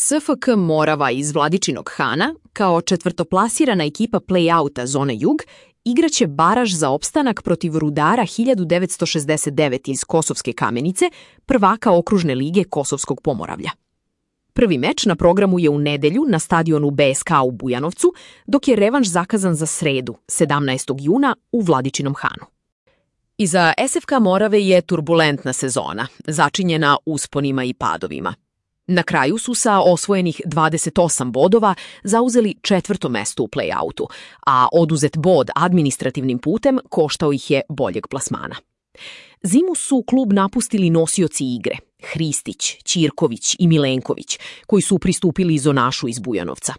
SFK Morava iz Vladičinog Hana, kao četvrtoplasirana ekipa play-outa zone Jug, igraće baraž za opstanak protiv Rudara 1969 iz Kosovske Kamenice, prvaka okružne lige Kosovskog Pomoravlja. Prvi meč na programu je u nedelju na stadionu BSK u Bujanovcu, dok je revanš zakazan za sredu, 17. juna, u Vladičinom Hanu. Iza SFK Morave je turbulentna sezona, začinjena usponima i padovima. Na kraju su sa osvojenih 28 bodova zauzeli 4. mesto u play-outu, a oduzet bod administrativnim putem koštao ih je boljeg plasmana. Zimu su klub napustili nosioci igre, Hristić, Ćirković i Milenković, koji su pristupili zonašu iz Bujanovca.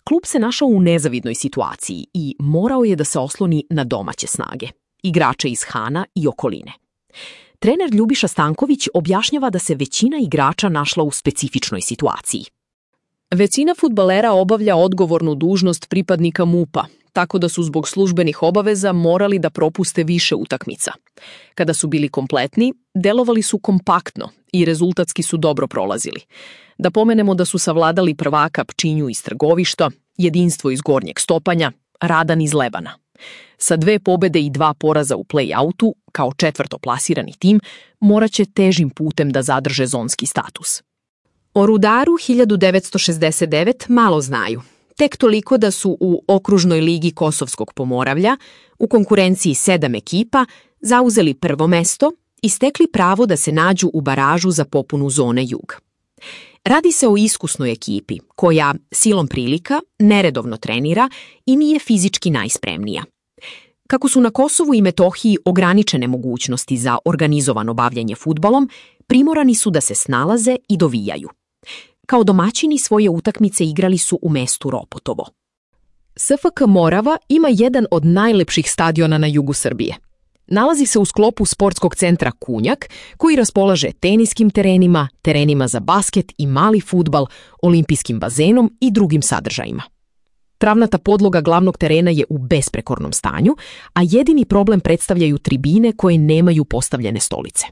Klub se našao u nezavidnoj situaciji i morao je da se osloni na domaće snage, igrače iz Hana i okoline. Trener Ljubiša Stanković objašnjava da se većina igrača našla u specifičnoj situaciji. Većina fudbalera obavlja odgovornu dužnost pripadnika MUP-a, tako da su zbog službenih obaveza morali da propuste više utakmica. Kada su bili kompletni, delovali su kompaktno i rezultatski su dobro prolazili. Da pomenemo da su savladali prvaka Pčinju iz Trgovišta, Jedinstvo iz Gornjeg Stopanja, Radan iz Lebana. Sa 2 pobede i 2 poraza u play-outu, kao četvrtoplasirani tim, moraće težim putem da zadrže zonski status. O Rudaru 1969 malo znaju. Tek toliko da su u okružnoj ligi Kosovskog Pomoravlja, u konkurenciji 7 ekipa, zauzeli prvo mesto i stekli pravo da se nađu u baražu za popunu zone Jug. Radi se o iskusnoj ekipi, koja silom prilika neredovno trenira i nije fizički najspremnija. Kako su na Kosovu i Metohiji ograničene mogućnosti za organizovano bavljenje fudbalom, primorani su da se snalaze i dovijaju. Kao domaćini svoje utakmice igrali su u mestu Ropotovo. SFK Morava ima jedan od najlepših stadiona na jugu Srbije. Nalazi se u sklopu sportskog centra Kunjak, koji raspolaže teniskim terenima, terenima za basket i mali fudbal, olimpijskim bazenom i drugim sadržajima. Travnata podloga glavnog terena je u besprekornom stanju, a jedini problem predstavljaju tribine koje nemaju postavljene stolice.